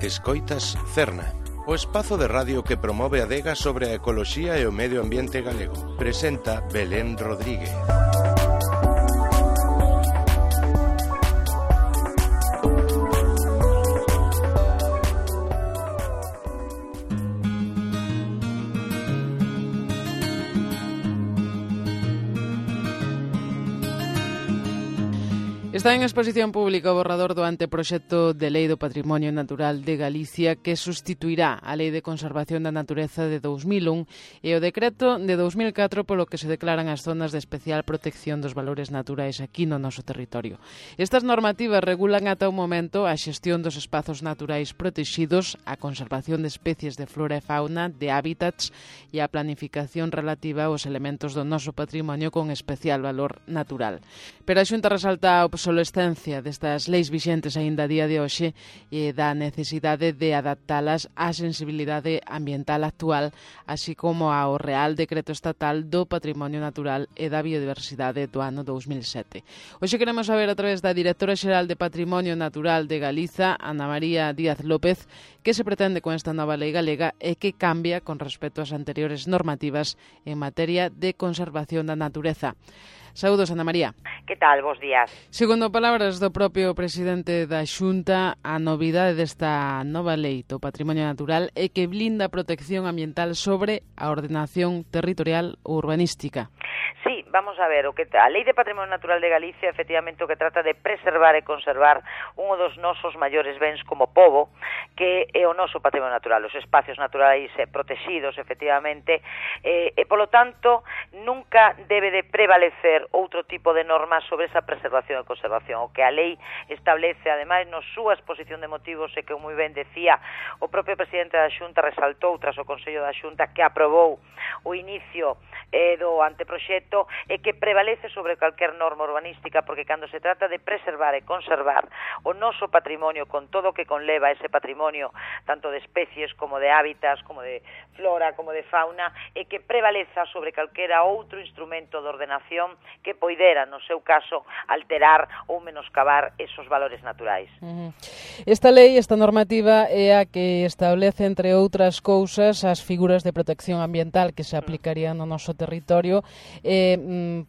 Escoitas Cerna, o espazo de radio que promove a adega sobre a ecoloxía e o medio ambiente galego. Presenta Belén Rodríguez. Está en exposición pública o borrador do anteproxecto de Lei do Patrimonio Natural de Galicia que sustituirá a Lei de Conservación da Natureza de 2001 e o decreto de 2004 polo que se declaran as zonas de especial protección dos valores naturais aquí no noso territorio. Estas normativas regulan ata o momento a xestión dos espazos naturais protexidos, a conservación de especies de flora e fauna, de hábitats e a planificación relativa aos elementos do noso patrimonio con especial valor natural. Pero a Xunta resalta a obsolescencia destas leis vixentes aínda a día de hoxe e da necesidade de adaptalas á sensibilidade ambiental actual, así como ao Real Decreto Estatal do Patrimonio Natural e da Biodiversidade do ano 2007. Hoxe queremos saber a través da Directora Xeral de Patrimonio Natural de Galiza, Ana María Díaz López, que se pretende con esta nova lei galega e que cambia con respecto ás anteriores normativas en materia de conservación da natureza. Saúdos, Ana María. Que tal? Bos días. Segundo palabras do propio presidente da Xunta, a novidade desta nova lei do patrimonio natural é que blinda a protección ambiental sobre a ordenación territorial ou urbanística. Sí, vamos a ver, a Lei de Patrimonio Natural de Galicia efectivamente o que trata de preservar e conservar un dos nosos maiores bens como pobo, que é o noso patrimonio natural, os espacios naturais protegidos efectivamente, e polo tanto nunca debe de prevalecer outro tipo de normas sobre esa preservación e conservación. O que a lei establece, ademais, na súa exposición de motivos, e que moi ben decía o propio presidente da Xunta, resaltou tras o Consello da Xunta que aprobou o inicio do anteproxecto, e que prevalece sobre calquer norma urbanística, porque cando se trata de preservar e conservar o noso patrimonio con todo o que conleva ese patrimonio, tanto de especies como de hábitats, como de flora, como de fauna, e que prevaleza sobre calquera outro instrumento de ordenación que poidera, no seu caso, alterar ou menoscabar esos valores naturais. Esta lei, esta normativa, é a que establece, entre outras cousas, as figuras de protección ambiental que se aplicarían no noso territorio.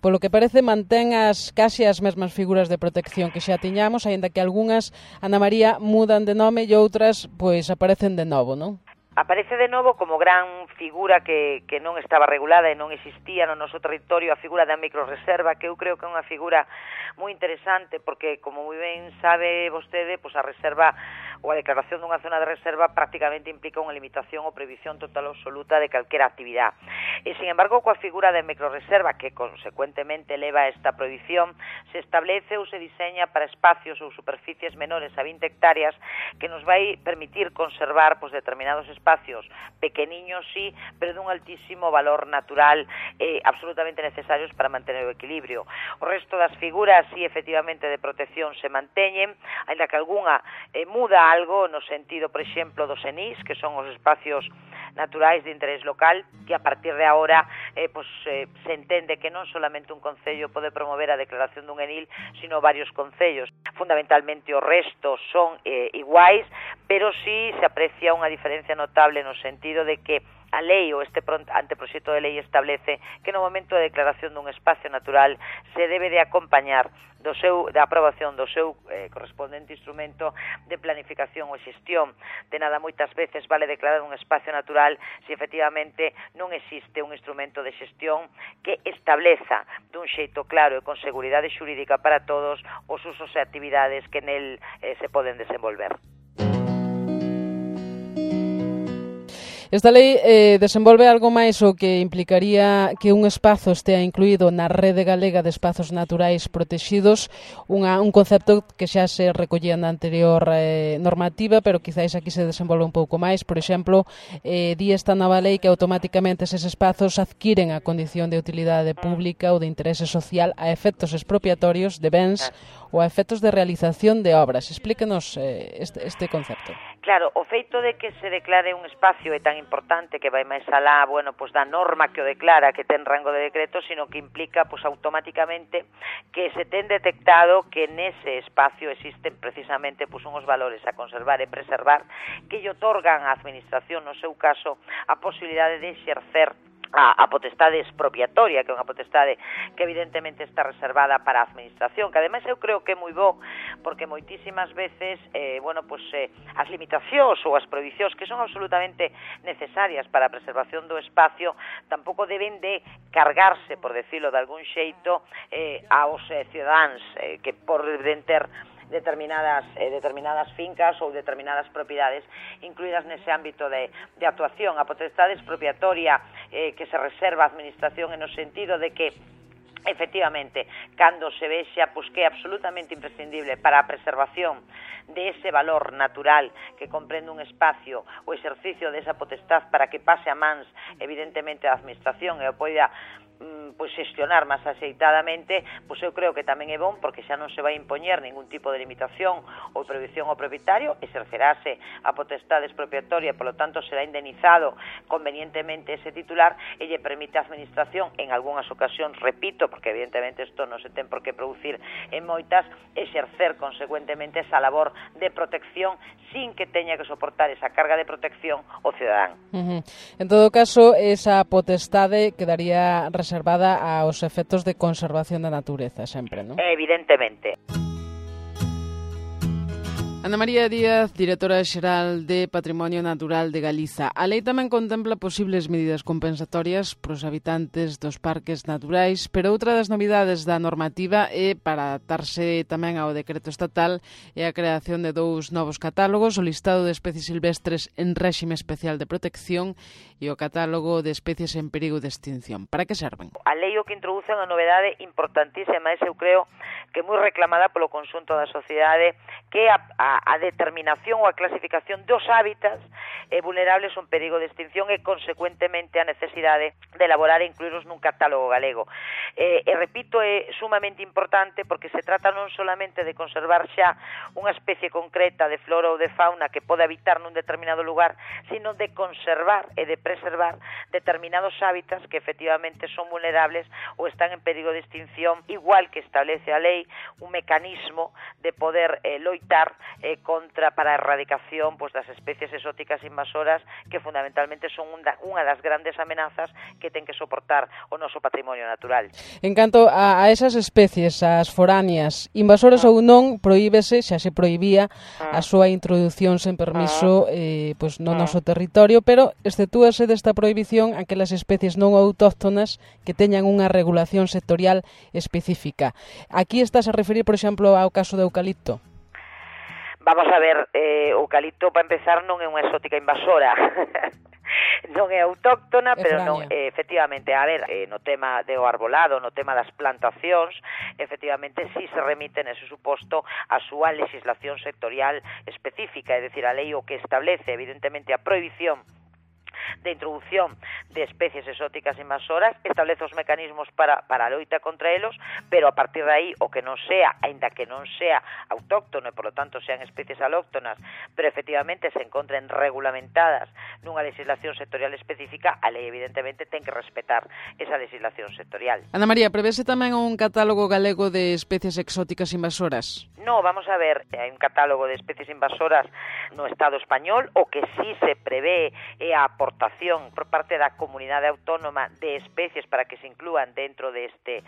Polo que parece, mantén case as mesmas figuras de protección que xa tiñamos, aínda que algunhas, Ana María, mudan de nome e outras pois aparecen de novo, non? Aparece de novo como gran figura que non estaba regulada e non existía no noso territorio, a figura da microreserva, que eu creo que é unha figura moi interesante, porque, como moi ben sabe vostede, pois a reserva ou a declaración dunha zona de reserva prácticamente implica unha limitación ou prohibición total absoluta de calquera actividade. E, sin embargo, coa figura de microreserva, que consecuentemente leva a esta prohibición, se establece ou se diseña para espacios ou superficies menores a 20 hectáreas que nos vai permitir conservar pois determinados espacios pequeniños, sí, pero dun altísimo valor natural absolutamente necesarios para mantener o equilibrio. O resto das figuras, sí, efectivamente, de protección se manteñen, ainda que algunha muda algo no sentido, por exemplo, dos ENIs, que son os espacios naturais de interés local, que a partir de agora se entende que non solamente un concello pode promover a declaración dun ENIL, sino varios concellos. Fundamentalmente o resto son iguais, pero sí se aprecia unha diferencia notable no sentido de que a lei ou este anteproxecto de lei establece que no momento de declaración dun espacio natural se debe de acompañar da aprobación do seu correspondente instrumento de planificación ou xestión. De nada moitas veces vale declarar un espacio natural se efectivamente non existe un instrumento de xestión que estableza dun xeito claro e con seguridade xurídica para todos os usos e actividades que nel se poden desenvolver. Esta lei desenvolve algo máis o que implicaría que un espazo estea incluído na Rede Galega de Espazos Naturais Protexidos, un concepto que xa se recollía na anterior normativa, pero quizáis aquí se desenvolve un pouco máis. Por exemplo, di esta nova lei que automáticamente eses espazos adquiren a condición de utilidade pública ou de interese social a efectos expropiatorios de bens ou a efectos de realización de obras. Explíquenos este concepto. Claro, o feito de que se declare un espacio é tan importante que vai máis alá, da norma que o declara, que ten rango de decreto, sino que implica, automáticamente, que se ten detectado que nese espacio existen precisamente, unhos valores a conservar e preservar que lle otorgan á administración, no seu caso, a posibilidade de exercer a potestade expropiatoria, que é unha potestade que evidentemente está reservada para a administración, que ademais eu creo que é moi bo, porque moitísimas veces as limitacións ou as prohibicións que son absolutamente necesarias para a preservación do espacio tampouco deben de cargarse, por decirlo de algún xeito, aos cidadáns que poden ter determinadas fincas ou determinadas propiedades incluídas nese ámbito de actuación. A potestade expropiatoria que se reserva a administración en o sentido de que efectivamente, cando se vexa que é absolutamente imprescindible para a preservación de ese valor natural que comprende un espacio, o exercicio desa potestad para que pase a mans, evidentemente, a administración e o poida xestionar máis axeitadamente, eu creo que tamén é bon porque xa non se vai impoñer ningún tipo de limitación ou prohibición ao propietario, exercerase a potestade expropiatoria e, polo tanto, será indemnizado convenientemente ese titular e lle permite a administración, en algunhas ocasións, repito, porque evidentemente isto non se ten por que producir en moitas, exercer consecuentemente esa labor de protección sin que teña que soportar esa carga de protección o cidadán. En todo caso, esa potestade quedaría reservada aos efectos de conservación da natureza, sempre, non? Evidentemente. Ana María Díaz, directora xeral de Patrimonio Natural de Galiza. A lei tamén contempla posibles medidas compensatorias para os habitantes dos parques naturais, pero outra das novidades da normativa é, para adaptarse tamén ao decreto estatal, é a creación de 2 novos catálogos, o listado de especies silvestres en réxime especial de protección e o catálogo de especies en perigo de extinción. Para que serven? A lei o que introduce unha novedade importantísima, eu creo que moi reclamada polo conxunto da sociedade, que é a determinación ou a clasificación dos hábitats vulnerables ou en perigo de extinción e, consecuentemente, a necesidade de elaborar e incluirlos nun catálogo galego. Repito, é sumamente importante porque se trata non solamente de conservar xa unha especie concreta de flora ou de fauna que pode habitar nun determinado lugar, sino de conservar e de preservar determinados hábitats que efectivamente son vulnerables ou están en perigo de extinción, igual que establece a lei un mecanismo de poder loitar para a erradicación das especies exóticas invasoras que fundamentalmente son unha das grandes amenazas que ten que soportar o noso patrimonio natural. En canto a esas especies, as foráneas, invasoras ou non, prohíbese, xa se prohibía a súa introdución sen permiso no noso territorio, pero exceptúase desta prohibición aquelas especies non autóctonas que teñan unha regulación sectorial específica. Aquí estás a referir, por exemplo, ao caso do eucalipto? Vamos a ver, o eucalipto, para empezar, non é unha exótica invasora. Non é autóctona, pero non, efectivamente, a ver, no tema do arbolado, no tema das plantacións, efectivamente, si se remite nese suposto a súa legislación sectorial específica, é dicir, a lei o que establece, evidentemente, a prohibición de introducción de especies exóticas invasoras, establece os mecanismos para a loita contra elos, pero a partir de aí, o que non sea, aínda que non sea autóctono e, por lo tanto, sean especies alóctonas, pero efectivamente se encontren regulamentadas nunha legislación sectorial específica, a lei, evidentemente, ten que respetar esa legislación sectorial. Ana María, prevese tamén un catálogo galego de especies exóticas invasoras? No, vamos a ver, hai un catálogo de especies invasoras no Estado español, o que sí se prevé é a aportación por parte da comunidade autónoma de especies para que se inclúan dentro deste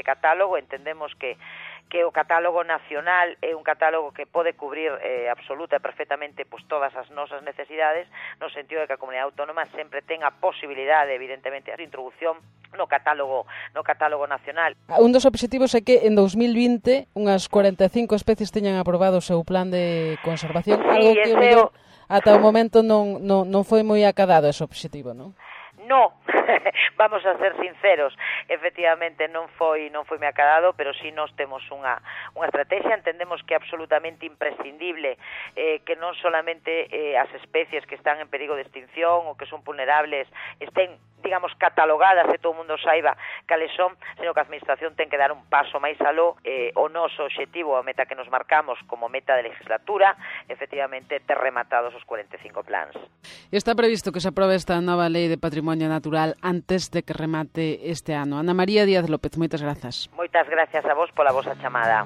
catálogo. Entendemos que o catálogo nacional é un catálogo que pode cubrir absoluta e perfectamente todas as nosas necesidades, no sentido de que a comunidade autónoma sempre ten a posibilidade, evidentemente, de introducción no catálogo nacional. Un dos obxectivos é que en 2020 unhas 45 especies teñan aprobado o seu plan de conservación, algo que o mellor ata o momento non foi moi acadado ese obxectivo, non? No, vamos a ser sinceros, efectivamente non foi me acadado, pero si nós temos unha estrategia, entendemos que é absolutamente imprescindible que non solamente as especies que están en perigo de extinción ou que son vulnerables estén digamos, catalogadas e todo o mundo saiba cales son, senón que a Administración ten que dar un paso máis aló. O noso obxectivo, a meta que nos marcamos como meta de legislatura, efectivamente, ter rematados os 45 plans. Está previsto que se aprobe esta nova Lei de Patrimonio Natural antes de que remate este ano. Ana María Díaz López, moitas grazas. Moitas gracias a vos pola vosa chamada.